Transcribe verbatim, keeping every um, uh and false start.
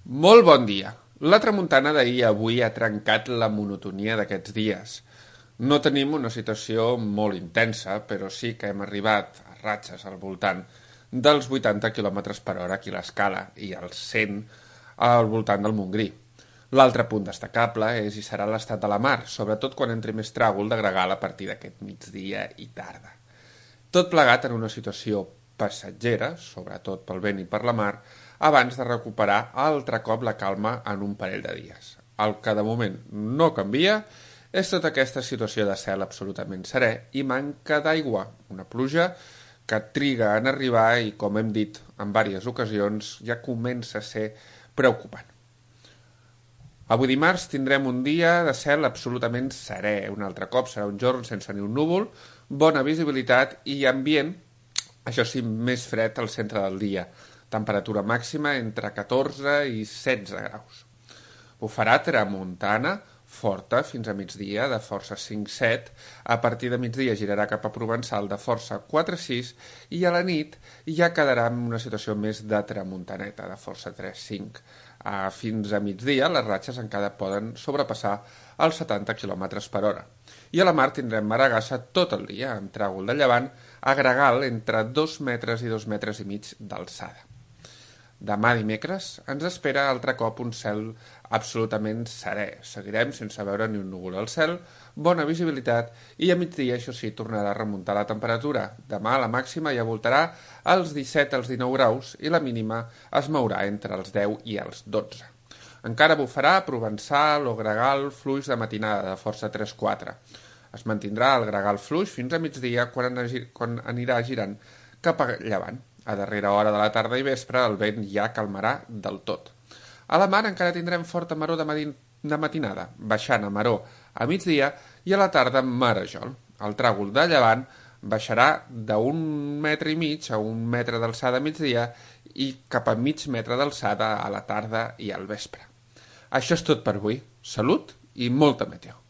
Molt bon dia. La tramuntana d'ahir avui ha trencat la monotonia d'aquests dies. No tenim una situació molt intensa, però sí que hem arribat a ratxes al voltant dels vuitanta quilòmetres per hora aquí a l'Escala i als cent al voltant del Montgrí. L'altre punt destacable és i serà l'estat de la mar, sobretot quan entri més tràgol de gregal a partir d'aquest migdia i tarda. Tot plegat en una situació passatgera, sobretot pel vent i per la mar, abans de recuperar altre cop la calma en un parell de dies. El que de moment no canvia és tota aquesta situació de cel absolutament serè i manca d'aigua, una pluja que triga en arribar i, com hem dit en diverses ocasions, ja comença a ser preocupant. Avui dimarts tindrem un dia de cel absolutament serè, un altre cop serà un jorn sense ni un núvol, bona visibilitat i ambient, això sí, més fred al centre del dia, temperatura màxima entre catorze i setze graus. Bufarà tramuntana forta fins a migdia de força cinc set, a partir de migdia girarà cap a Provençal de força quatre sis i a la nit ja quedarà en una situació més de tramuntaneta de força tres cinc. Uh, fins a migdia les ratxes encara poden sobrepassar els setanta quilòmetres per hora. I a la mar tindrem maragassa tot el dia, amb tràgol de llevant a gregal entre dos metres i dos metres i mig d'alçada. Demà dimecres ens espera altre cop un cel absolutament serè. Seguirem sense veure ni un núvol al cel, bona visibilitat i a migdia, això sí, tornarà a remuntar la temperatura. Demà la màxima ja voltarà als disset als dinou graus i la mínima es mourà entre els deu i els dotze. Encara bufarà Provençal o gregal fluix de matinada de força tres quatre. Es mantindrà el gregal fluix fins a migdia quan, quan anirà girant cap a llevant. A darrera hora de la tarda i vespre el vent ja calmarà del tot. A la mar encara tindrem forta maror de, de matinada, baixant a maror a migdia i a la tarda marejol. El tràgol de llevant baixarà d'un metre i mig a un metre d'alçada a migdia i cap a mig metre d'alçada a la tarda i al vespre. Això és tot per avui. Salut i molta meteo.